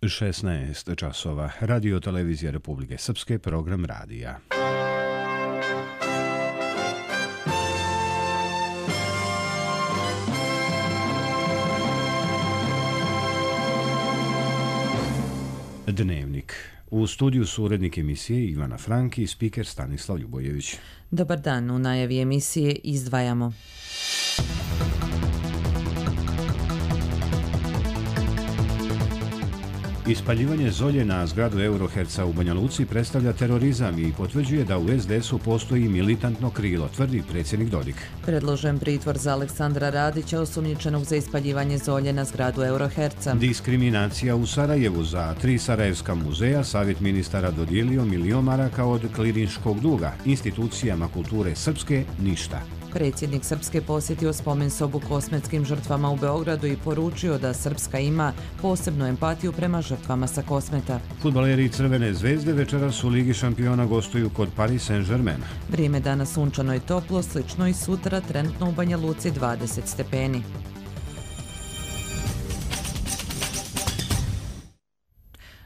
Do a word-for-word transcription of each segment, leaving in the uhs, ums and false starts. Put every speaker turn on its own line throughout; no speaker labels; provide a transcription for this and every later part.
šesnaest časova. Radio televizija Republike Srpske, program radija. Dnevnik. U studiju su urednik emisije Ivana Franki i spiker Stanislav Ljubojević.
Dobar dan, u najavi emisije izdvajamo.
Ispaljivanje zolje na zgradu Euroherca u Banja Luci predstavlja terorizam i potvrđuje da u es de esu postoji militantno krilo, tvrdi predsjednik Dodik.
Predložen pritvor za Aleksandra Radića, osumnjičenog za ispaljivanje zolje na zgradu Euroherca.
Diskriminacija u Sarajevu. Za tri sarajevska muzeja Savjet ministara dodijelio milion maraka od klirinškog duga. Institucijama kulture srpske ništa.
Predsjednik Srpske posjetio spomen sobu kosmetskim žrtvama u Beogradu i poručio da Srpska ima posebnu empatiju prema žrtvama sa Kosmeta.
Fudbaleri Crvene zvezde večeras u Ligi šampiona gostuju kod Paris Saint-Germain.
Vrijeme danas sunčano i toplo, slično i sutra, trenutno u Banja Luci dvadeset stepeni.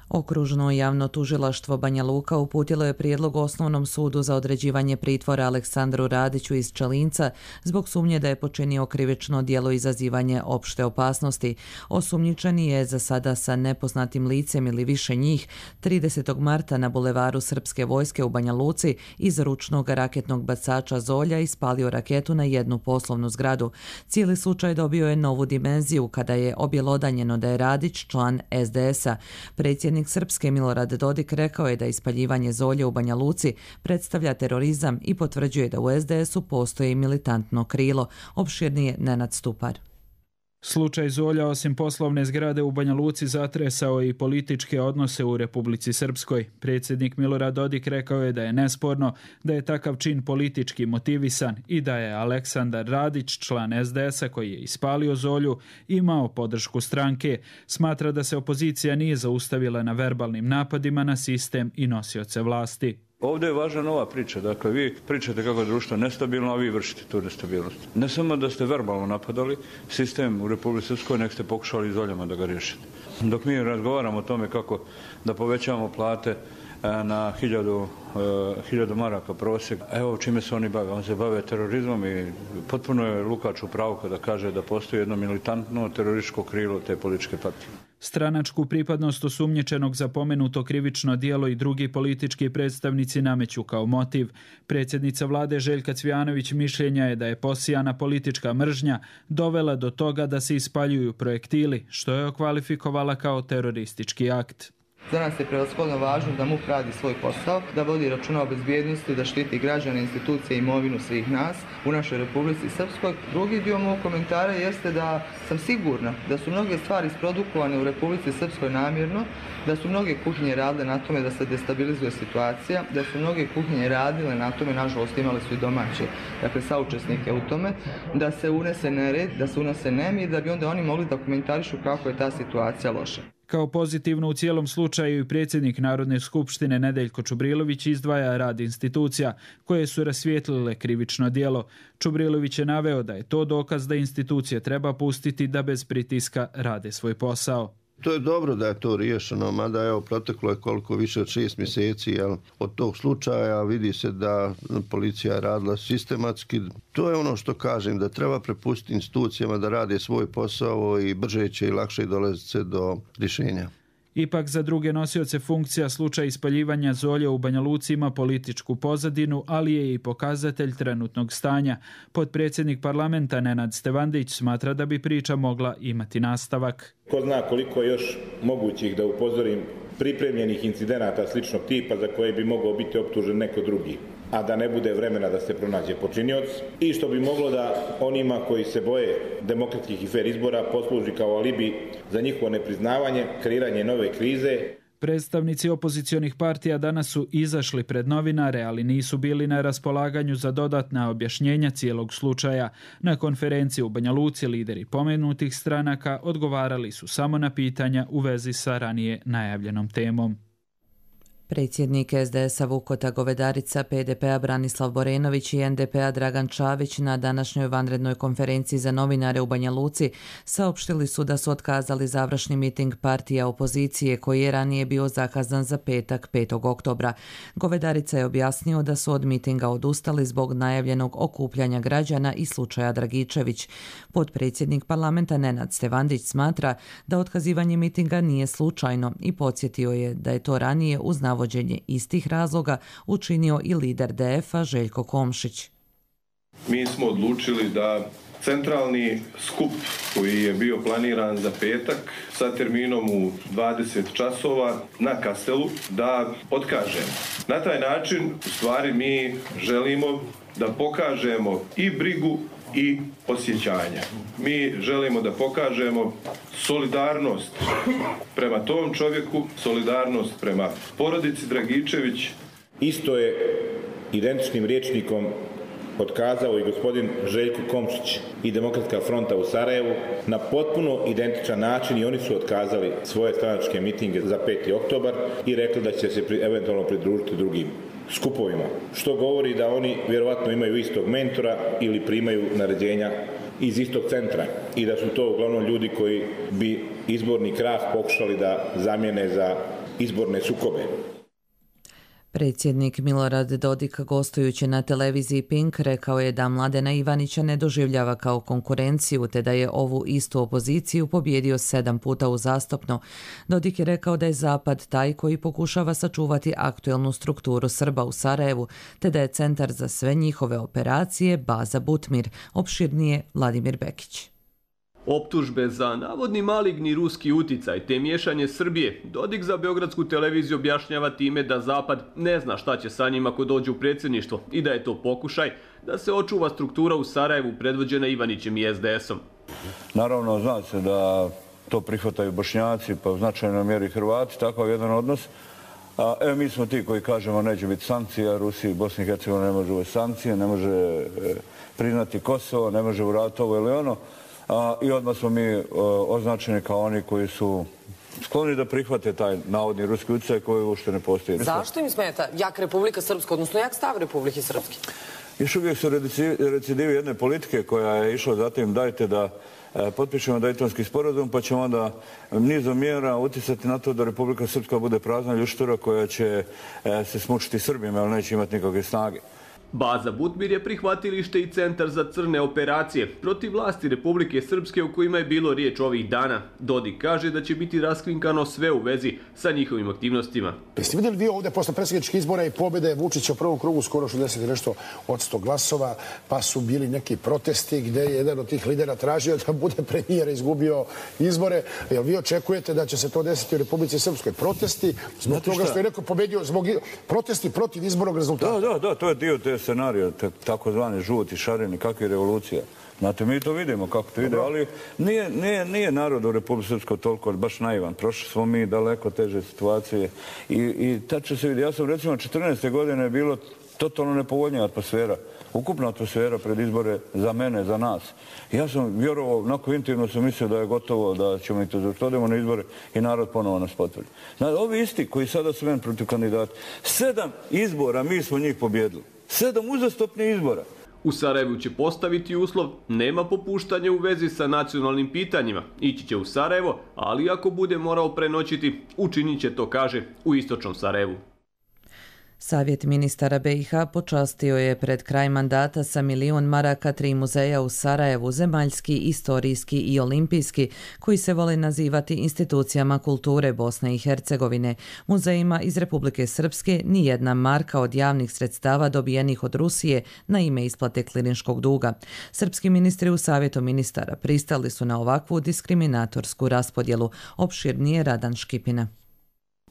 Okružno javno tužilaštvo Banja Luka uputilo je prijedlog Osnovnom sudu za određivanje pritvora Aleksandru Radiću iz Čalinca zbog sumnje da je počinio krivično djelo izazivanje opšte opasnosti. Osumnjičeni je za sada sa nepoznatim licem ili više njih tridesetog marta na bulevaru Srpske vojske u Banja Luci iz ručnog raketnog bacača zolja ispalio raketu na jednu poslovnu zgradu. Cijeli slučaj dobio je novu dimenziju kada je objelodanjeno da je Radić član es de esa. Predsjednik Srpske Milorad Dodik rekao je da ispaljivanje zolje u Banja Luci predstavlja terorizam i potvrđuje da u es de esu postoji militantno krilo. Opširnije Nenad Stupar.
Slučaj zolja osim poslovne zgrade u Banja Luci zatresao i političke odnose u Republici Srpskoj. Predsjednik Milorad Dodik rekao je da je nesporno da je takav čin politički motivisan i da je Aleksandar Radić, član es de esa koji je ispalio zolju, imao podršku stranke. Smatra da se opozicija nije zaustavila na verbalnim napadima na sistem i nosioce vlasti.
Ovdje je važna nova priča, dakle vi pričate kako je društvo nestabilno, a vi vršite tu nestabilnost. Ne samo da ste verbalno napadali sistem u Republici Srpskoj, nek ste pokušali zoljama da ga riješite. Dok mi razgovaramo o tome kako da povećamo plate na hiljadu, hiljadu maraka prosjek, evo čime se oni bave. On se bave terorizmom i potpuno je Lukač u pravu kada kaže da postoji jedno militantno terorističko krilo te političke partije.
Stranačku pripadnost osumnjičenog za pomenuto krivično djelo i drugi politički predstavnici nameću kao motiv. Predsjednica vlade Željka Cvijanović mišljenja je da je posijana politička mržnja dovela do toga da se ispaljuju projektili, što je okvalifikovala kao teroristički akt.
Za nas je prevashodno važno da MUP radi svoj posao, da vodi računa o bezbjednosti, da štiti građane, institucije i imovinu svih nas u našoj Republici Srpskoj. Drugi dio mog komentara jeste da sam sigurna da su mnoge stvari isprodukovane u Republici Srpskoj namjerno, da su mnoge kuhinje radile na tome da se destabilizuje situacija, da su mnoge kuhinje radile na tome, nažalost imali su i domaće, dakle saučesnike u tome, da se unese nered, da se unese nemir, da bi onda oni mogli da komentarišu kako je ta situacija loša.
Kao pozitivno u cijelom slučaju i predsjednik Narodne skupštine Nedeljko Čubrilović izdvaja rad institucija koje su rasvijetlile krivično djelo. Čubrilović je naveo da je to dokaz da institucije treba pustiti da bez pritiska rade svoj posao.
To je dobro da je to riješeno, mada evo proteklo je koliko više od šest mjeseci jel, od tog slučaja, vidi se da policija je radila sistematski. To je ono što kažem, da treba prepustiti institucijama da rade svoj posao i brže će i lakše dolaziti se do rješenja.
Ipak za druge nosioce funkcija slučaj ispaljivanja zolja u Banja Luci ima političku pozadinu, ali je i pokazatelj trenutnog stanja. Potpredsjednik parlamenta Nenad Stevandić smatra da bi priča mogla imati nastavak.
Ko zna koliko još mogućih, da upozorim, pripremljenih incidenata sličnog tipa za koje bi mogao biti optužen neko drugi, a da ne bude vremena da se pronađe počinioc, i što bi moglo da onima koji se boje demokratskih i fer izbora posluži kao alibi za njihovo nepriznavanje, kreiranje nove krize.
Predstavnici opozicionih partija danas su izašli pred novinare, ali nisu bili na raspolaganju za dodatna objašnjenja cijelog slučaja. Na konferenciji u Banja Luci lideri pomenutih stranaka odgovarali su samo na pitanja u vezi sa ranije najavljenom temom.
Predsjednik es de es a Vukota Govedarica, pe de pe a Branislav Borenović i en de pe a Dragan Čavić na današnjoj vanrednoj konferenciji za novinare u Banja Luci saopštili su da su otkazali završni miting partija opozicije koji je ranije bio zakazan za petak petog oktobra. Govedarica je objasnio da su od mitinga odustali zbog najavljenog okupljanja građana i slučaja Dragičević. Potpredsjednik parlamenta Nenad Stevandić smatra da otkazivanje mitinga nije slučajno i podsjetio je da je to ranije uz navođenje istih razloga učinio i lider de ef a Željko Komšić.
Mi smo odlučili da centralni skup koji je bio planiran za petak sa terminom u dvadeset časova na Kastelu da otkažemo. Na taj način u stvari mi želimo da pokažemo i brigu i osjećanja. Mi želimo da pokažemo solidarnost prema tom čovjeku, solidarnost prema porodici Dragičević.
Isto je identičnim rječnikom otkazao i gospodin Željko Komšić i Demokratska fronta u Sarajevu na potpuno identičan način i oni su otkazali svoje stranačke mitinge za peti oktobar i rekli da će se eventualno pridružiti drugim skupovima, što govori da oni vjerovatno imaju istog mentora ili primaju naređenja iz istog centra i da su to uglavnom ljudi koji bi izborni krah pokušali da zamijene za izborne sukobe.
Predsjednik Milorad Dodik, gostujući na televiziji Pink, rekao je da Mladena Ivanića ne doživljava kao konkurenciju, te da je ovu istu opoziciju pobjedio sedam puta uzastopno. Dodik je rekao da je Zapad taj koji pokušava sačuvati aktuelnu strukturu Srba u Sarajevu, te da je centar za sve njihove operacije baza Butmir, opširnije Vladimir Bekić.
Optužbe za navodni maligni ruski uticaj te miješanje Srbije Dodik za Beogradsku televiziju objašnjava time da Zapad ne zna šta će sa njima ako dođu u predsjedništvo i da je to pokušaj da se očuva struktura u Sarajevu predvođena Ivanićem i es de esom.
Naravno, zna se da to prihvataju Bošnjaci, pa u značajnoj mjeri Hrvati, takav jedan odnos. A, e, mi smo ti koji kažemo neće biti sankcija, Rusiji i Bosni i Hercegovini ne može ove sankcije, ne može e, priznati Kosovo, ne može uraditi ovo ili ono. A, I odmah smo mi e, označeni kao oni koji su skloni da prihvate taj navodni ruski utjecaj koji uopšte ne postoji.
Zašto im smeta jak Republika Srpska, odnosno jak stav Republike Srpske?
Još uvijek su recidivi jedne politike koja je išla zatim dajte da e, potpišemo Daytonski sporazum pa ćemo onda nizom mjera utjecati na to da Republika Srpska bude prazna ljuštura koja će e, se smučiti Srbima, ali neće imati nikakve snage.
Baza Butmir je prihvatilište i centar za crne operacije protiv vlasti Republike Srpske u kojima je bilo riječ ovih dana. Dodik kaže da će biti raskrinkano sve u vezi sa njihovim aktivnostima.
Jeste vidjeli vi ovdje posle predsjedničkih izbora i pobjede Vučića u prvom krugu skoro šezdeset i nešto od sto glasova, pa su bili neki protesti gdje je jedan od tih lidera tražio da bude premijer, izgubio izbore. Jel vi očekujete da će se to desiti u Republici Srpskoj? Protesti zbog toga što je neko pobjedio, zbog protesti protiv izbornog rezultata?
Da, da, da, to je dio te scenarija, takozvani žuti, šareni, kakve revolucija. Znate, mi to vidimo kako to ide, ali nije, nije, nije narod u Republike Srpskoj toliko baš naivan. Prošli smo mi daleko teže situacije i, i tad će se vidjeti. Ja sam recimo četrnaeste godine je bilo totalno nepovoljnija atmosfera. Ukupna atmosfera pred izbore za mene, za nas. Ja sam vjerovao, onako intimno sam mislio da je gotovo, da ćemo i to završiti. Odemo na izbore i narod ponovo nas potvrdi. Znači, ovi isti koji sada su meni protiv kandidata, sedam izbora mi smo njih pobjedili. Sedam uzastopnih izbora.
U Sarajevu će postaviti uslov, nema popuštanja u vezi sa nacionalnim pitanjima. Ići će u Sarajevo, ali ako bude morao prenoćiti, učinit će to, kaže, u istočnom Sarajevu.
Savjet ministara be i ha počastio je pred kraj mandata sa milion maraka tri muzeja u Sarajevu, zemaljski, istorijski i olimpijski, koji se vole nazivati institucijama kulture Bosne i Hercegovine. Muzejima iz Republike Srpske nijedna marka od javnih sredstava dobijenih od Rusije na ime isplate klirinškog duga. Srpski ministri u Savjetu ministara pristali su na ovakvu diskriminatorsku raspodjelu, opširnije Radan Škipina.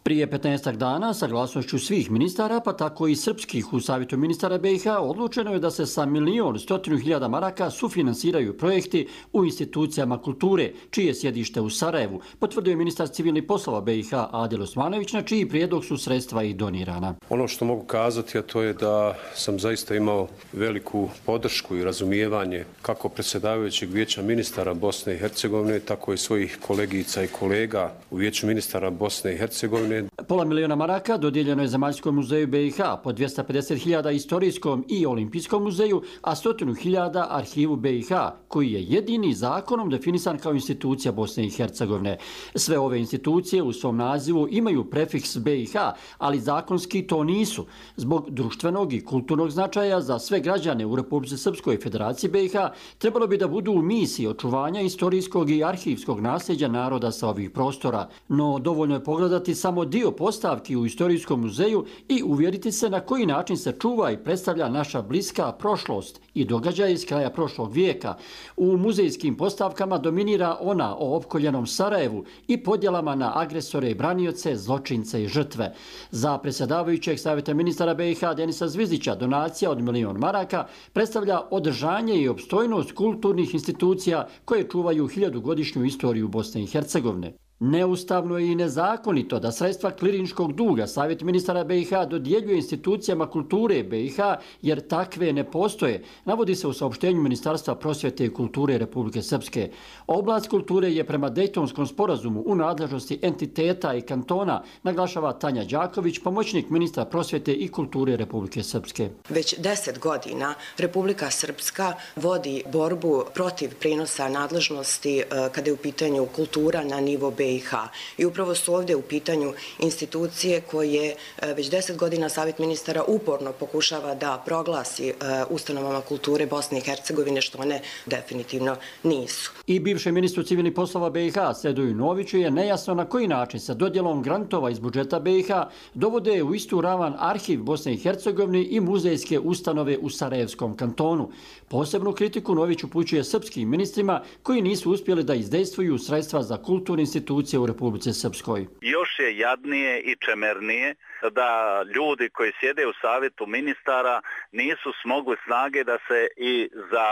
Prije petnaestak dana, sa glasnošću svih ministara, pa tako i srpskih u Savjetu ministara be i ha, odlučeno je da se sa milion stotinu hiljada maraka sufinansiraju projekti u institucijama kulture, čije sjedište u Sarajevu, potvrdio je ministar civilnih poslova be i ha Adil Osmanović, na čiji prijedlog su sredstva i donirana.
Ono što mogu kazati, a to je da sam zaista imao veliku podršku i razumijevanje kako predsjedavajućeg vijeća ministara Bosne i Hercegovine, tako i svojih kolegica i kolega u vijeću ministara Bosne i Hercegovine.
Pola miliona maraka dodijeljeno je Zemaljskom muzeju B i H, po dvjesto pedeset hiljada Istorijskom i Olimpijskom muzeju, a stotinu hiljada Arhivu B i H, koji je jedini zakonom definisan kao institucija Bosne i Hercegovine. Sve ove institucije u svom nazivu imaju prefiks B i H, ali zakonski to nisu. Zbog društvenog i kulturnog značaja za sve građane u Republici Srpskoj Federaciji B i H trebalo bi da budu u misiji očuvanja istorijskog i arhivskog nasljeđa naroda sa ovih prostora. No, dovoljno je pogledati samo dio postavki u Istorijskom muzeju i uvjeriti se na koji način se čuva i predstavlja naša bliska prošlost i događaje iz kraja prošlog vijeka. U muzejskim postavkama dominira ona o opkoljenom Sarajevu i podjelama na agresore i branioce, zločince i žrtve. Za predsjedavajućeg savjeta ministara B i H Denisa Zvizdića donacija od milion maraka predstavlja održanje i opstojnost kulturnih institucija koje čuvaju hiljadugodišnju istoriju Bosne i Hercegovine. Neustavno je i nezakonito da sredstva klirinškog duga Savjet ministara B i H dodjeljuje institucijama kulture B i H jer takve ne postoje, navodi se u saopštenju Ministarstva prosvjete i kulture Republike Srpske. Oblast kulture je prema Dejtonskom sporazumu u nadležnosti entiteta i kantona, naglašava Tanja Đaković, pomoćnik ministra prosvjete i kulture Republike Srpske.
Već deset godina Republika Srpska vodi borbu protiv prenosa nadležnosti kada je u pitanju kultura na nivo B i H. I upravo su ovdje u pitanju institucije koje već deset godina Savjet ministara uporno pokušava da proglasi ustanovama kulture Bosne i Hercegovine, što one definitivno nisu.
I bivšem ministru civilnih poslova B i H Sedoju Noviću je nejasno na koji način sa dodjelom grantova iz budžeta B i H dovode u istu ravan Arhiv Bosne i Hercegovine i muzejske ustanove u Sarajevskom kantonu. Posebnu kritiku Nović upućuje srpskim ministrima koji nisu uspjeli da izdejstvuju sredstva za kulturne institucije u Republici Srpskoj.
Još je jadnije i čemernije da ljudi koji sjede u savjetu ministara nisu smogli snage da se i za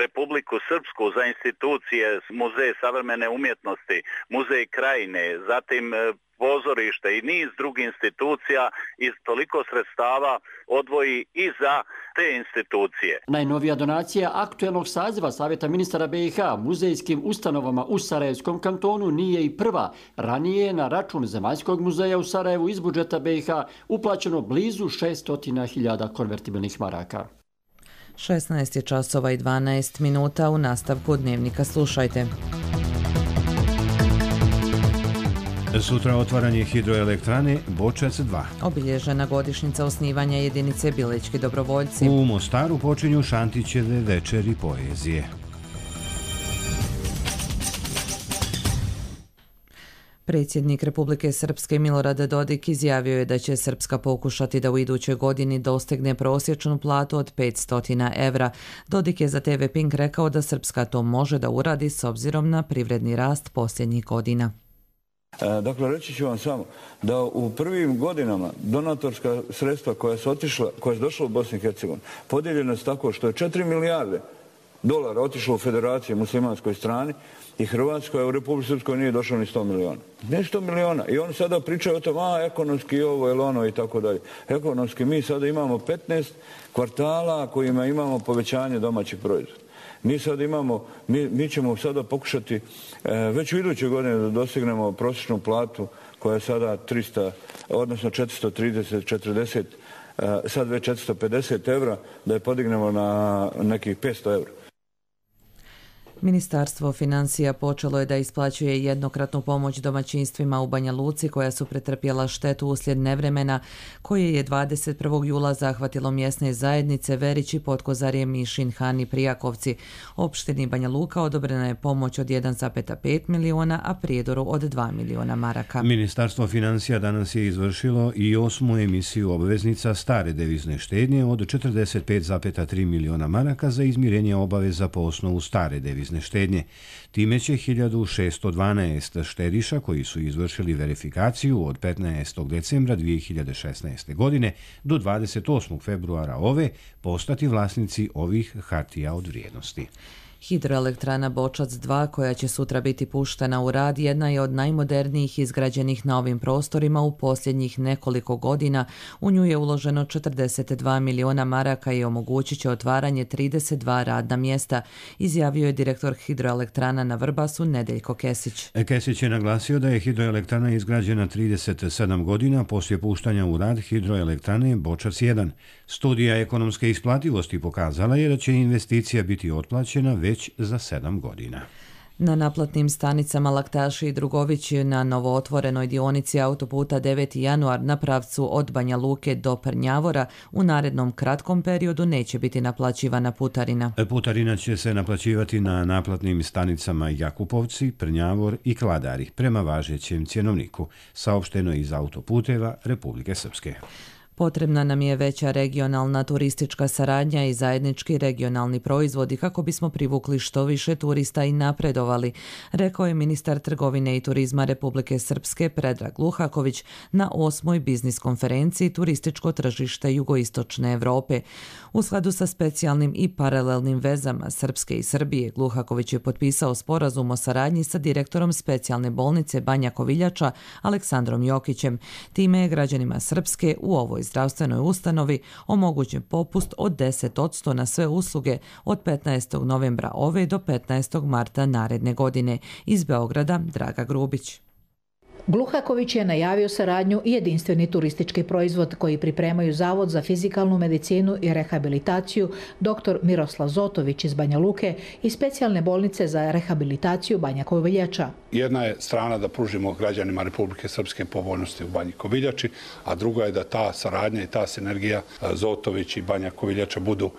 Republiku Srpsku, za institucije Muzej savremene umjetnosti, Muzej Krajine, zatim pozorište i niz drugih institucija iz toliko sredstava odvoji i za te institucije.
Najnovija donacija aktuelnog saziva Savjeta ministara B i H muzejskim ustanovama u Sarajevskom kantonu nije i prva. Ranije je na račun Zemaljskog muzeja u Sarajevu iz budžeta B i H uplaćeno blizu šesnaest hiljada konvertibilnih maraka.
šesnaest je časova i dvanaest minuta. U nastavku Dnevnika slušajte.
Sutra otvaranje hidroelektrane Bočac dva.
Obilježena godišnjica osnivanja jedinice Bilički dobrovoljci.
U Mostaru počinju Šantićeve večeri poezije.
Predsjednik Republike Srpske Milorad Dodik izjavio je da će Srpska pokušati da u idućoj godini dostigne prosječnu platu od petsto evra. Dodik je za T V Pink rekao da Srpska to može da uradi s obzirom na privredni rast posljednjih godina.
Dakle, reći ću vam samo da u prvim godinama donatorska sredstva koja su otišla, koja su došla u Bosni i Hercegovini, podijeljena su tako što je četiri milijarde dolara otišlo u Federaciji muslimanskoj strani i Hrvatskoj, a u Republike Srpskoj nije došlo ni sto miliona. Ne sto miliona. I oni sada pričaju o tom, a ekonomski ovo ili ono i tako dalje. Ekonomski mi sada imamo petnaest kvartala kojima imamo povećanje domaćih proizvoda. Mi sad imamo, mi, mi ćemo sada pokušati e, već u idućoj godine da dostignemo prosječnu platu koja je sada tristo, odnosno četiristo trideset, četrdeset, e, sad već četiristo pedeset evra, da je podignemo na nekih petsto evra.
Ministarstvo financija počelo je da isplaćuje jednokratnu pomoć domaćinstvima u Banja Luci koja su pretrpjela štetu uslijed nevremena koje je dvadeset prvog jula zahvatilo mjesne zajednice Verići, Potkozarje, Mišin, Han i Prijakovci. Opštini Banja Luka odobrena je pomoć od jedan zarez pet miliona, a Prijedoru od dva miliona maraka.
Ministarstvo financija danas je izvršilo i osmu emisiju obveznica stare devizne štednje od četrdeset pet zarez tri miliona maraka za izmirenje obaveza po osnovu stare devizne štednje. Time će hiljadu šesto dvanaest štediša koji su izvršili verifikaciju od petnaestog decembra dvije hiljade šesnaeste. godine do dvadeset osmog februara ove postati vlasnici ovih hartija od vrijednosti.
Hidroelektrana Bočac dva, koja će sutra biti puštena u rad, jedna je od najmodernijih izgrađenih na ovim prostorima u posljednjih nekoliko godina. U nju je uloženo četrdeset dva miliona maraka i omogućit će otvaranje trideset dva radna mjesta, izjavio je direktor Hidroelektrana na Vrbasu Nedeljko Kesić.
Kesić je naglasio da je hidroelektrana izgrađena trideset sedam godina poslije puštanja u rad hidroelektrane Bočac jedan. Studija ekonomske isplativosti pokazala je da će investicija biti otplaćena već za sedam godina.
Na naplatnim stanicama Laktaši i Drugović na novootvorenoj dionici autoputa deveti januar na pravcu od Banja Luke do Prnjavora u narednom kratkom periodu neće biti naplaćivana putarina.
Putarina će se naplaćivati na naplatnim stanicama Jakupovci, Prnjavor i Kladari prema važećem cjenovniku, saopšteno iz autoputeva Republike Srpske.
Potrebna nam je veća regionalna turistička saradnja i zajednički regionalni proizvodi kako bismo privukli što više turista i napredovali, rekao je ministar trgovine i turizma Republike Srpske Predrag Luhaković na osmoj biznis konferenciji Turističko tržište jugoistočne Evrope. U skladu sa specijalnim i paralelnim vezama Srpske i Srbije, Luhaković je potpisao sporazum o saradnji sa direktorom specijalne bolnice Banja Koviljača Aleksandrom Jokićem. Time je građanima Srpske u ovoj zdravstvenoj ustanovi omogućen popust od deset posto na sve usluge od petnaestog novembra ove do petnaestog marta naredne godine. Iz Beograda Draga Grubić.
Gluhaković je najavio saradnju i jedinstveni turistički proizvod koji pripremaju Zavod za fizikalnu medicinu i rehabilitaciju dr Miroslav Zotović iz Banja Luke i specijalne bolnice za rehabilitaciju Banja Koviljača.
Jedna je strana da pružimo građanima Republike Srpske povoljnosti u Banji Koviljači, a druga je da ta saradnja i ta sinergija Zotović i Banja Koviljača budu,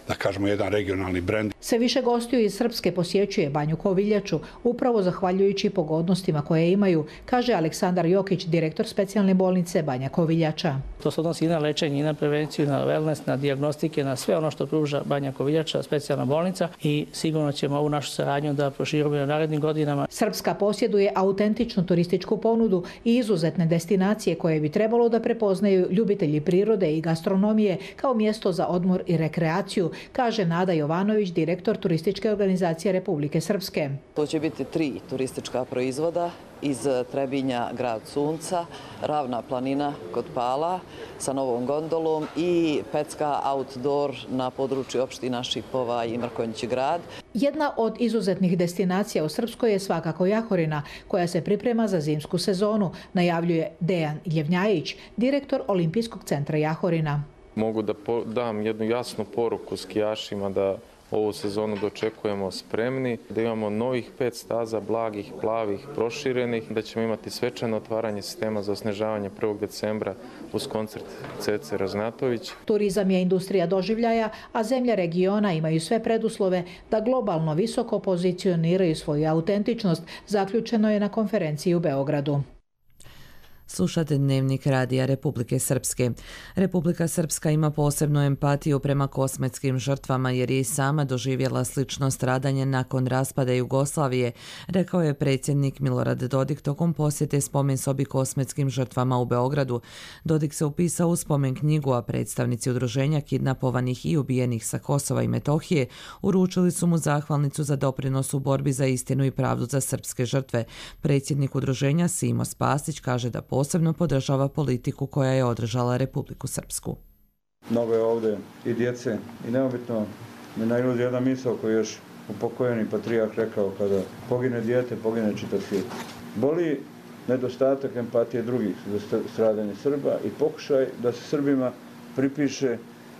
da kažemo, jedan regionalni brend.
Sve više gostiju iz Srpske posjećuje Banju Koviljaču, upravo zahvaljujući pogodnostima koje imaju, kaže Aleksandar Jokić, direktor specijalne bolnice Banja Koviljača.
To se odnosi i na lečenje, i na prevenciju, na wellness, na dijagnostike, na sve ono što pruža Banja Koviljača, specijalna bolnica, i sigurno ćemo ovu našu saradnju da proširimo u narednim godinama.
Srpska posjeduje autentičnu turističku ponudu i izuzetne destinacije koje bi trebalo da prepoznaju ljubitelji prirode i gastronomije kao mjesto za odmor i rekreaciju, kaže Nada Jovanović, direktor turističke organizacije Republike Srpske.
To će biti tri turistička proizvoda iz Trebinja, grad Sunca, Ravna planina kod Pala sa novom gondolom i Pecka outdoor na području opština Šipova i Mrkonjić grad.
Jedna od izuzetnih destinacija u Srpskoj je svakako Jahorina, koja se priprema za zimsku sezonu, najavljuje Dejan Ljevnjajić, direktor Olimpijskog centra Jahorina.
Mogu da dam jednu jasnu poruku skijašima da ovu sezonu dočekujemo spremni, da imamo novih pet staza, blagih, plavih, proširenih, da ćemo imati svečano otvaranje sistema za osnežavanje prvog decembra uz koncert Cece Raznatović.
Turizam je industrija doživljaja, a zemlje regiona imaju sve preduslove da globalno visoko pozicioniraju svoju autentičnost, zaključeno je na konferenciji u Beogradu.
Slušate Dnevnik radija Republike Srpske. Republika Srpska ima posebnu empatiju prema kosmetskim žrtvama jer je i sama doživjela slično stradanje nakon raspada Jugoslavije, rekao je predsjednik Milorad Dodik tokom posjete spomen sobi kosmetskim žrtvama u Beogradu. Dodik se upisao u spomen knjigu, a predstavnici udruženja kidnapovanih i ubijenih sa Kosova i Metohije uručili su mu zahvalnicu za doprinos u borbi za istinu i pravdu za srpske žrtve. Predsjednik udruženja Simo Spasić kaže da posebno podržava politiku koja je održala Republiku Srpsku.
Mnogo je ovdje i djece i neobitno me nailazi jedna misao koju je još upokojeni patrijarh rekao: kada pogine dijete, pogine čitav svijet. Boli nedostatak empatije drugih za stradanje Srba i pokušaj da se Srbima pripiše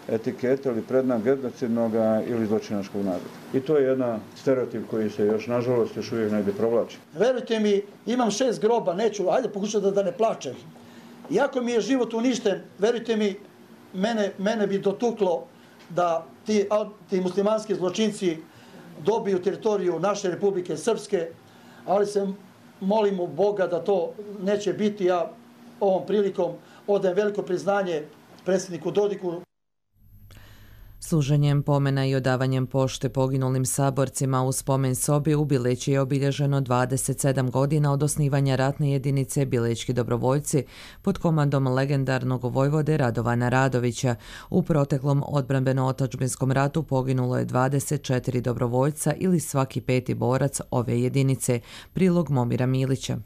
etiketa ili prednak genocidnog ili zločinačkog naroda. I to je jedan stereotip koji se još, nažalost, još uvijek negdje provlači.
Verujte mi, imam šest groba, neću, ajde pokušati da, da ne plačem. Iako mi je život uništen, verujte mi, mene, mene bi dotuklo da ti, ti muslimanski zločinci dobiju teritoriju naše Republike Srpske, ali se molimo Boga da to neće biti. Ja ovom prilikom odajem veliko priznanje predsjedniku Dodiku.
Služenjem pomena i odavanjem pošte poginulim saborcima u spomen sobi u Bileći je obilježeno dvadeset sedam godina od osnivanja ratne jedinice Bilečki dobrovoljci pod komandom legendarnog vojvode Radovana Radovića. U proteklom odbrambeno-otadžbinskom ratu poginulo je dvadeset četiri dobrovoljca ili svaki peti borac ove jedinice. Prilog Momira Milića.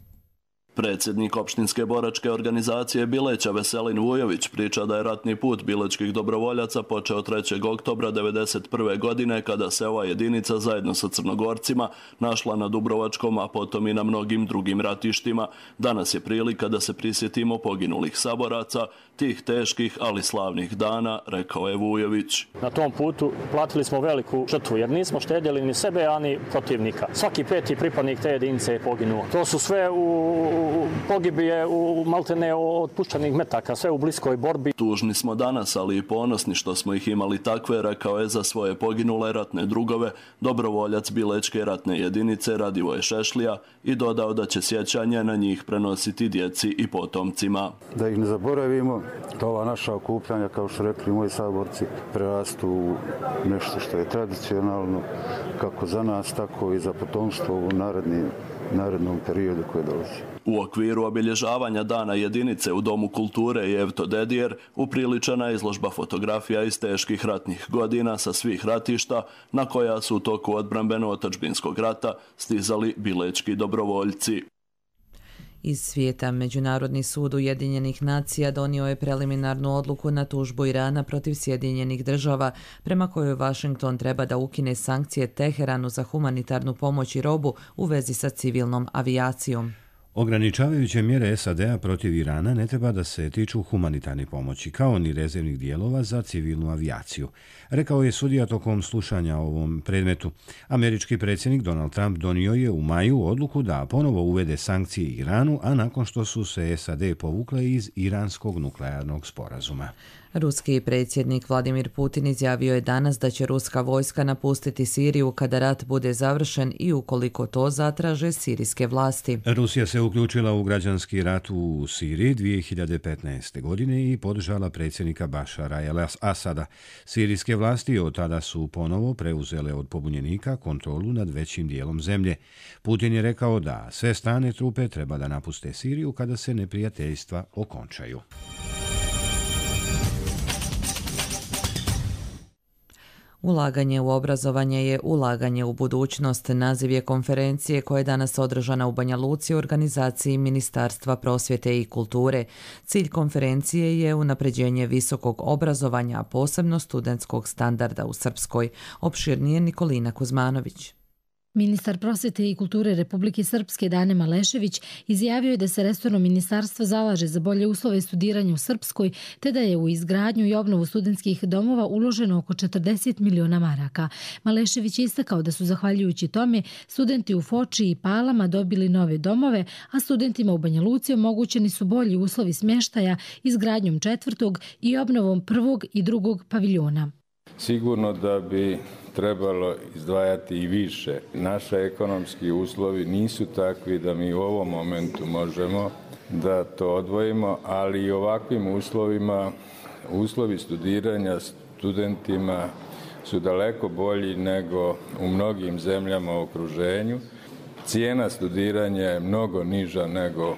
Predsjednik opštinske boračke organizacije Bileća Veselin Vujović priča da je ratni put bilečkih dobrovoljaca počeo trećeg oktobra devedeset prve. godine kada se ova jedinica zajedno sa Crnogorcima našla na Dubrovačkom, a potom i na mnogim drugim ratištima. Danas je prilika da se prisjetimo poginulih saboraca, tih teških ali slavnih dana, rekao je Vujović.
Na tom putu platili smo veliku žrtvu jer nismo štedjeli ni sebe, ani protivnika. Svaki peti pripadnik te jedinice je poginuo. To su sve u pogibije u maltene od puščanih metaka, sve u bliskoj borbi.
Tužni smo danas, ali i ponosni što smo ih imali takve, rekao je za svoje poginule ratne drugove dobrovoljac Bilečke ratne jedinice Radivoje Šešlija i dodao da će sjećanje na njih prenositi djeci i potomcima.
Da ih ne zaboravimo, da ova naša okupljanja, kao što rekli moji saborci, prerastu u nešto što je tradicionalno, kako za nas, tako i za potomstvo u narednim narednom periodu koje dolazi.
U okviru obilježavanja Dana jedinice u Domu kulture Jevto Dedijer upriličena je izložba fotografija iz teških ratnih godina sa svih ratišta na koja su u toku odbrambeno-otadžbinskog rata stizali bilečki dobrovoljci.
Iz svijeta, Međunarodni sud Ujedinjenih nacija donio je preliminarnu odluku na tužbu Irana protiv Sjedinjenih država, prema kojoj Washington treba da ukine sankcije Teheranu za humanitarnu pomoć i robu u vezi sa civilnom avijacijom.
Ograničavajuće mjere S A D-a protiv Irana ne treba da se tiču humanitarne pomoći, kao ni rezervnih dijelova za civilnu avijaciju, rekao je sudija tokom slušanja o ovom predmetu. Američki predsjednik Donald Trump donio je u maju odluku da ponovo uvede sankcije Iranu, a nakon što su se S A D povukle iz iranskog nuklearnog sporazuma.
Ruski predsjednik Vladimir Putin izjavio je danas da će ruska vojska napustiti Siriju kada rat bude završen i ukoliko to zatraže sirijske vlasti.
Rusija se uključila u građanski rat u Siriji dvije hiljade petnaeste. godine i podržala predsjednika Bašara el-Asada. Sirijske vlasti od tada su ponovo preuzele od pobunjenika kontrolu nad većim dijelom zemlje. Putin je rekao da sve strane trupe treba da napuste Siriju kada se neprijateljstva okončaju.
Ulaganje u obrazovanje je ulaganje u budućnost. Naziv je konferencije koja je danas održana u Banja Luci u organizaciji Ministarstva prosvjete i kulture. Cilj konferencije je unapređenje visokog obrazovanja, a posebno studentskog standarda u Srpskoj. Opširnije Nikolina Kuzmanović.
Ministar prosvjete i kulture Republike Srpske Dane Malešević izjavio je da se resorno ministarstvo zalaže za bolje uslove studiranja u Srpskoj, te da je u izgradnju i obnovu studentskih domova uloženo oko četrdeset miliona maraka. Malešević je istakao da su zahvaljujući tome studenti u Foči i Palama dobili nove domove, a studentima u Banja Luci omogućeni su bolji uslovi smještaja izgradnjom četvrtog i obnovom prvog i drugog paviljona.
Sigurno da bi trebalo izdvajati i više. Naši ekonomski uslovi nisu takvi da mi u ovom momentu možemo da to odvojimo, ali i ovakvim uslovima, uslovi studiranja studentima su daleko bolji nego u mnogim zemljama u okruženju. Cijena studiranja je mnogo niža nego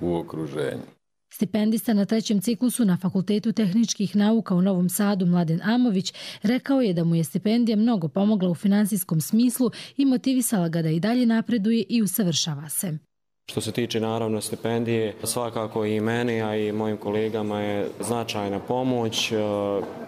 u okruženju.
Stipendista na trećem ciklusu na Fakultetu tehničkih nauka u Novom Sadu Mladen Amović rekao je da mu je stipendija mnogo pomogla u finansijskom smislu i motivisala ga da i dalje napreduje i usavršava se.
Što se tiče naravno stipendije, svakako i meni, a i mojim kolegama je značajna pomoć,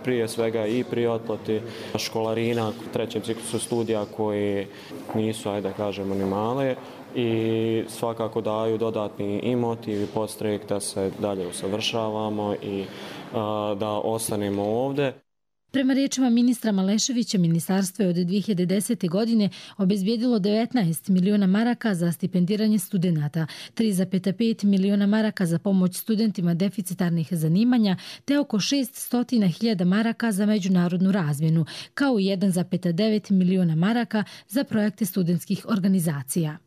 prije svega i pri otplati školarina u trećem ciklusu studija koji nisu, ajde da kažemo, ni male, i svakako daju dodatni i motiv i podstrek da se dalje usavršavamo i a, da ostanemo ovdje.
Prema riječima ministra Maleševića, ministarstvo je od dvije hiljade desete. godine obezbijedilo devetnaest miliona maraka za stipendiranje studenata, tri zarez pet miliona maraka za pomoć studentima deficitarnih zanimanja, te oko šesnaest hiljada maraka za međunarodnu razmjenu, kao i jedan zarez devet miliona maraka za projekte studentskih organizacija.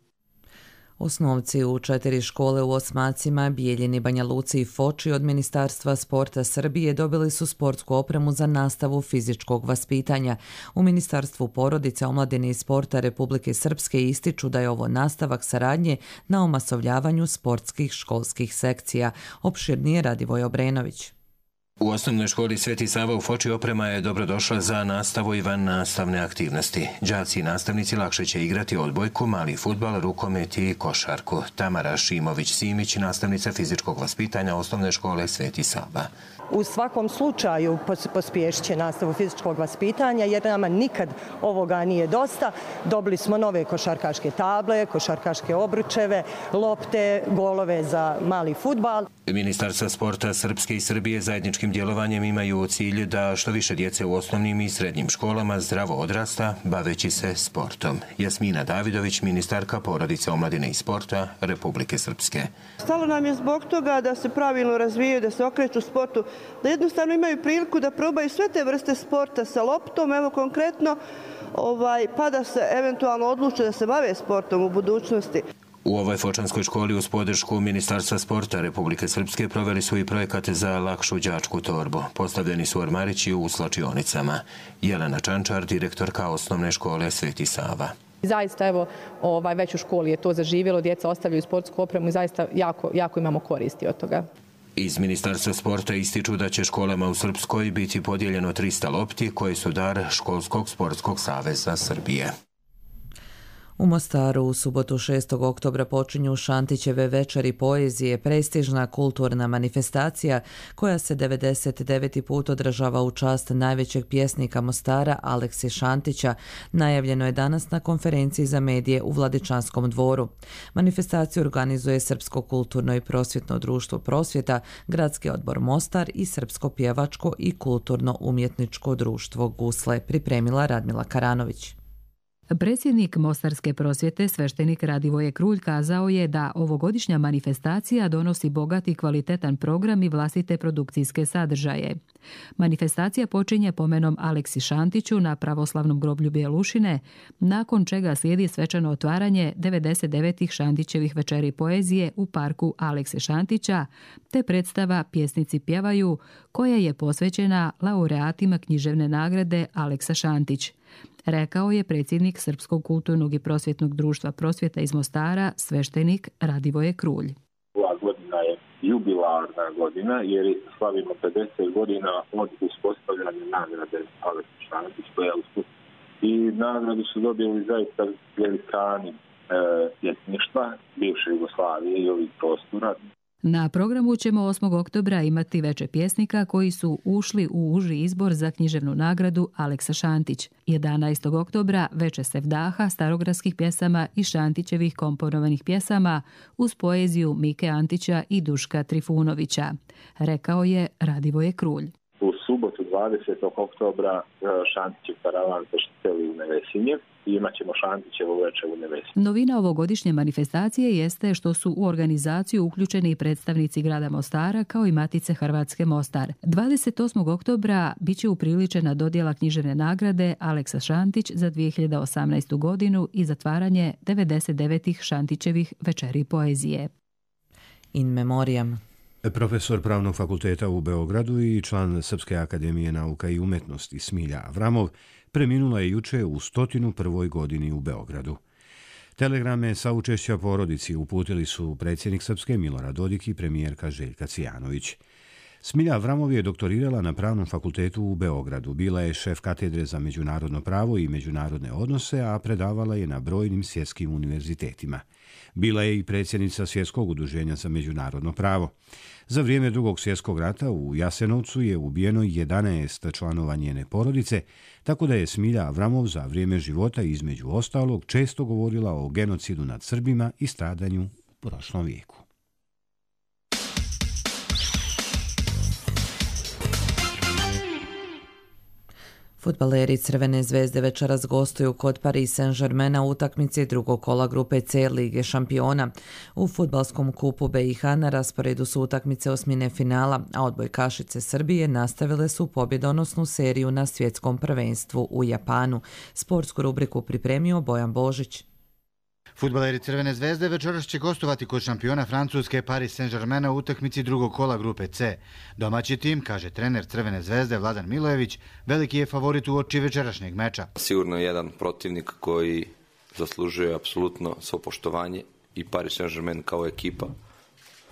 Osnovci u četiri škole u Osmacima, Bijeljini, Banja Luci i Foči od Ministarstva sporta Srbije dobili su sportsku opremu za nastavu fizičkog vaspitanja. U Ministarstvu porodice, omladine i sporta Republike Srpske ističu da je ovo nastavak saradnje na omasovljavanju sportskih školskih sekcija. Opširnije Radivoj Obrenović.
U osnovnoj školi Sveti Sava u Foči oprema je dobrodošla za nastavu i van nastavne aktivnosti. Đaci i nastavnici lakše će igrati odbojku, mali fudbal, rukomet i košarku. Tamara Šimović-Simić, nastavnica fizičkog vaspitanja osnovne škole Sveti Sava.
U svakom slučaju pospješit će nastavu fizičkog vaspitanja jer nama nikad ovoga nije dosta. Dobili smo nove košarkaške table, košarkaške obručeve, lopte, golove za mali fudbal.
Ministarstva sporta Srpske i Srbije zajedničkim djelovanjem imaju u cilju da što više djece u osnovnim i srednjim školama zdravo odrasta baveći se sportom. Jasmina Davidović, ministarka porodice, omladine i sporta Republike Srpske.
Stalo nam je zbog toga da se pravilno razvijaju, da se okreću sportu, da jednostavno imaju priliku da probaju sve te vrste sporta sa loptom, evo konkretno, ovaj, pa da se eventualno odluče da se bave sportom u budućnosti.
U ovoj fočanskoj školi uz podršku Ministarstva sporta Republike Srpske proveli su i projekate za lakšu đačku torbu. Postavljeni su ormarići u slačionicama. Jelena Čančar, direktorka osnovne škole Sveti Sava.
Zaista, evo, ovaj, već u školi je to zaživjelo, djeca ostavljaju sportsku opremu i zaista jako, jako imamo koristi od toga.
Iz Ministarstva sporta ističu da će školama u Srpskoj biti podijeljeno trista lopti koje su dar Školskog sportskog saveza Srbije.
U Mostaru u subotu šestog oktobra počinju Šantićeve večeri poezije, prestižna kulturna manifestacija koja se devedeset deveti put održava u čast najvećeg pjesnika Mostara Aleksi Šantića. Najavljeno je danas na konferenciji za medije u Vladičanskom dvoru. Manifestaciju organizuje Srpsko kulturno i prosvjetno društvo Prosvjeta, Gradski odbor Mostar i Srpsko pjevačko i kulturno umjetničko društvo Gusle, pripremila Radmila Karanović.
Predsjednik Mostarske prosvjete, sveštenik Radivoje Krulj, kazao je da ovogodišnja manifestacija donosi bogat i kvalitetan program i vlastite produkcijske sadržaje. Manifestacija počinje pomenom Aleksi Šantiću na pravoslavnom groblju Bjelušine, nakon čega slijedi svečano otvaranje devedeset devetih Šantićevih večeri poezije u parku Alekse Šantića, te predstava Pjesnici pjevaju, koja je posvećena laureatima književne nagrade Aleksa Šantić. Rekao je predsjednik Srpskog kulturnog i prosvjetnog društva Prosvjeta iz Mostara, sveštenik Radivoje Krulj.
Ova godina je jubilarna godina jer slavimo pedeset godina od uspostavljanja nagrade Aleksa Šantić. I nagradu su dobili zaista velikani e, pjesništva bivše Jugoslavije i ovih prostora.
Na programu ćemo osmog oktobra imati veče pjesnika koji su ušli u uži izbor za književnu nagradu Aleksa Šantić. jedanaestog oktobra veče Sevdaha, starogradskih pjesama i Šantićevih komponovanih pjesama uz poeziju Mike Antića i Duška Trifunovića, rekao je Radivoje Krulj.
U subotu dvadesetog oktobra Šantićev karavan se seli u Nevesinje i imat ćemo Šantićevu večer u Nevesinje.
Novina ovogodišnje manifestacije jeste što su u organizaciju uključeni i predstavnici grada Mostara kao i Matice Hrvatske Mostar. dvadeset osmog oktobra biće upriličena dodjela književne nagrade Aleksa Šantić za dvije hiljade osamnaestu godinu i zatvaranje devedeset devetih Šantićevih večeri poezije.
In memoriam.
Profesor Pravnog fakulteta u Beogradu i član Srpske akademije nauka i umetnosti Smilja Avramov preminula je juče u stotinu prvoj godini u Beogradu. Telegrame saučešća porodici uputili su predsjednik Srpske Milorad Dodik i premijerka Željka Cijanović. Smilja Avramov je doktorirala na Pravnom fakultetu u Beogradu, bila je šef katedre za međunarodno pravo i međunarodne odnose, a predavala je na brojnim svjetskim univerzitetima. Bila je i predsjednica Svjetskog udruženja za međunarodno pravo. Za vrijeme Drugog svjetskog rata u Jasenovcu je ubijeno jedanaest članova njene porodice, tako da je Smilja Avramov za vrijeme života između ostalog često govorila o genocidu nad Srbima i stradanju u prošlom vijeku.
Fudbaleri Crvene zvezde večeras gostuju kod Paris Saint-Germaina u utakmici drugog kola grupe C Lige šampiona. U fudbalskom kupu B i H na rasporedu su utakmice osmine finala, a odbojkašice Srbije nastavile su pobjedonosnu seriju na svjetskom prvenstvu u Japanu. Sportsku rubriku pripremio Bojan Božić.
Fudbaleri Crvene zvezde večeras će gostovati kod šampiona Francuske Paris Saint-Germaina u utakmici drugog kola grupe C. Domaći tim, kaže trener Crvene zvezde Vladan Milojević, veliki je favorit uoči večerašnjeg meča.
Sigurno je jedan protivnik koji zaslužuje apsolutno svo poštovanje i Paris Saint-Germain kao ekipa.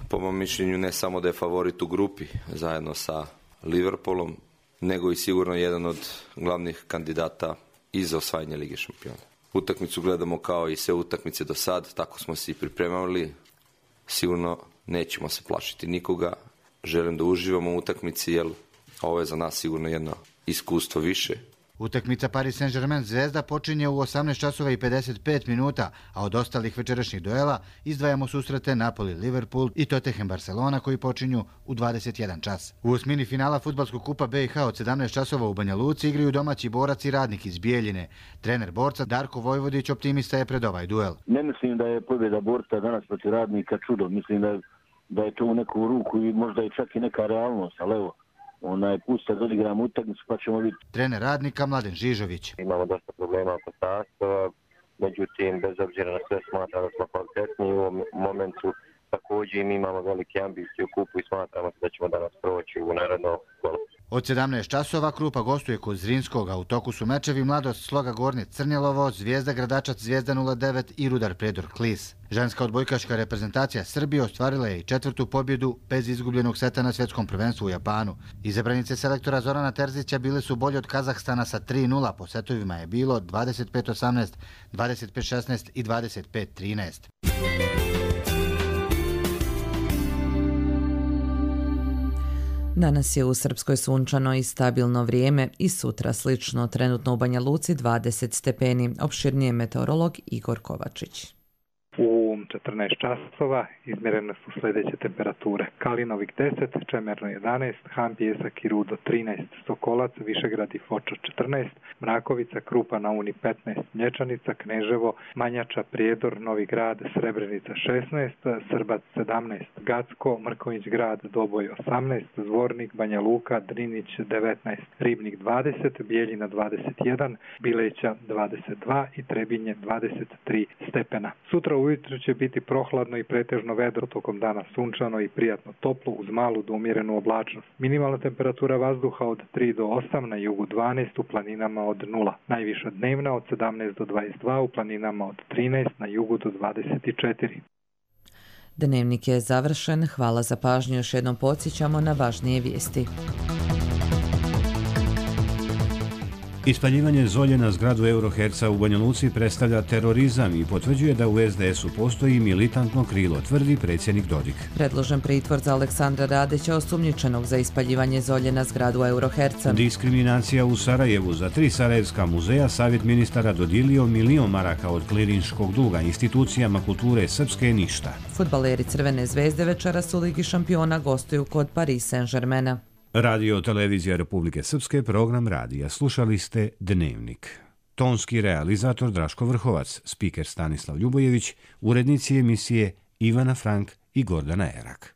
Po mom mišljenju ne samo da je favorit u grupi zajedno sa Liverpoolom, nego i sigurno jedan od glavnih kandidata i za osvajanje Lige šampiona. Utakmicu gledamo kao i sve utakmice do sad, tako smo se i pripremali. Sigurno nećemo se plašiti nikoga. Želim da uživamo u utakmici, jer ovo je za nas sigurno jedno iskustvo više.
Utakmica Paris Saint-Germain Zvezda počinje u osamnaest časova i pedeset pet minuta, a od ostalih večerašnjih duela izdvajamo susrete Napoli-Liverpool i Tottenham-Barcelona koji počinju u dvadeset jedan čas. U osmini finala fudbalskog kupa B i H od sedamnaest časova u Banja Luci igraju domaći Borac i Radnik iz Bijeljine. Trener Borca Darko Vojvodić optimista je pred ovaj duel.
Ne mislim da je pobjeda Borca danas protiv Radnika čudo. Mislim da je, da je to u neku ruku i možda i čak i neka realnost, ali evo, onaj pusta da odigramo utakmicu pa ćemo vidjeti.
Trener Radnika Mladen Žižović.
Imamo dosta problema oko sastava, međutim bez obzira na sve smatramo da smo kvalitetni u ovom momentu. Također mi imamo velike ambicije u kupu i smatramo da ćemo danas proći u naredno kolo.
Od sedamnaest časova Krupa gostuje kod Zrinskog, a u toku su mečevi Mladost Sloga Gornje Crnjelovo, Zvijezda Gradačac Zvijezda nula devet i Rudar Predor Klis. Ženska odbojkaška reprezentacija Srbije ostvarila je i četvrtu pobjedu bez izgubljenog seta na svjetskom prvenstvu u Japanu. Izabranice selektora Zorana Terzića bile su bolje od Kazahstana sa tri nula, po setovima je bilo dvadeset pet osamnaest, dvadeset pet šesnaest i dvadeset pet trinaest.
Danas je u Srpskoj sunčano i stabilno vrijeme i sutra slično, trenutno u Banja Luci dvadeset stepeni. Opširnije meteorolog Igor Kovačić.
U četrnaest časova izmjerene su sljedeće temperature. Kalinovik deset, Čemerno jedanaest, Han, Pijesak i Rudo trinaest, Sokolac, Višegrad i Foča četrnaest, Mrakovica, Krupa na Uni petnaest, Mlječanica, Kneževo, Manjača, Prijedor, Novi Grad, Srebrenica šesnaest, Srbac sedamnaest, Gacko, Mrkonjić Grad, Doboj osamnaest, Zvornik, Banja Luka, Drinić devetnaest, Ribnik dvadeset, Bijeljina dvadeset jedan, Bileća dvadeset dva i Trebinje dvadeset tri stepena. Sutra ujutro će biti prohladno i pretežno vedro, tokom dana sunčano i prijatno toplo uz malu do umjerenu oblačnost. Minimalna temperatura vazduha od tri do osam, na jugu dvanaest, u planinama od nula. Najviša dnevna od sedamnaest do dvadeset dva, u planinama od trinaest, na jugu do dvadeset četiri.
Dnevnik je završen. Hvala za pažnju. Još jednom podsjećamo na važnije vijesti.
Ispaljivanje zolje na zgradu Euroherca u Banja Luci predstavlja terorizam i potvrđuje da u es de esu postoji militantno krilo, tvrdi predsjednik Dodik.
Predložen pritvor za Aleksandra Radića, osumnjičenog za ispaljivanje zolje na zgradu Euroherca.
Diskriminacija u Sarajevu. Za tri sarajevska muzeja savjet ministara dodijelio milion maraka od klirinškog duga. Institucijama kulture srpske ništa.
Fudbaleri Crvene zvezde večeras u Ligi šampiona gostuju kod Paris Saint-Germaina.
Radio Televizija Republike Srpske, program radija. Slušali ste Dnevnik. Tonski realizator Draško Vrhovac, spiker Stanislav Ljubojević, urednici emisije Ivana Frank i Gordana Erak.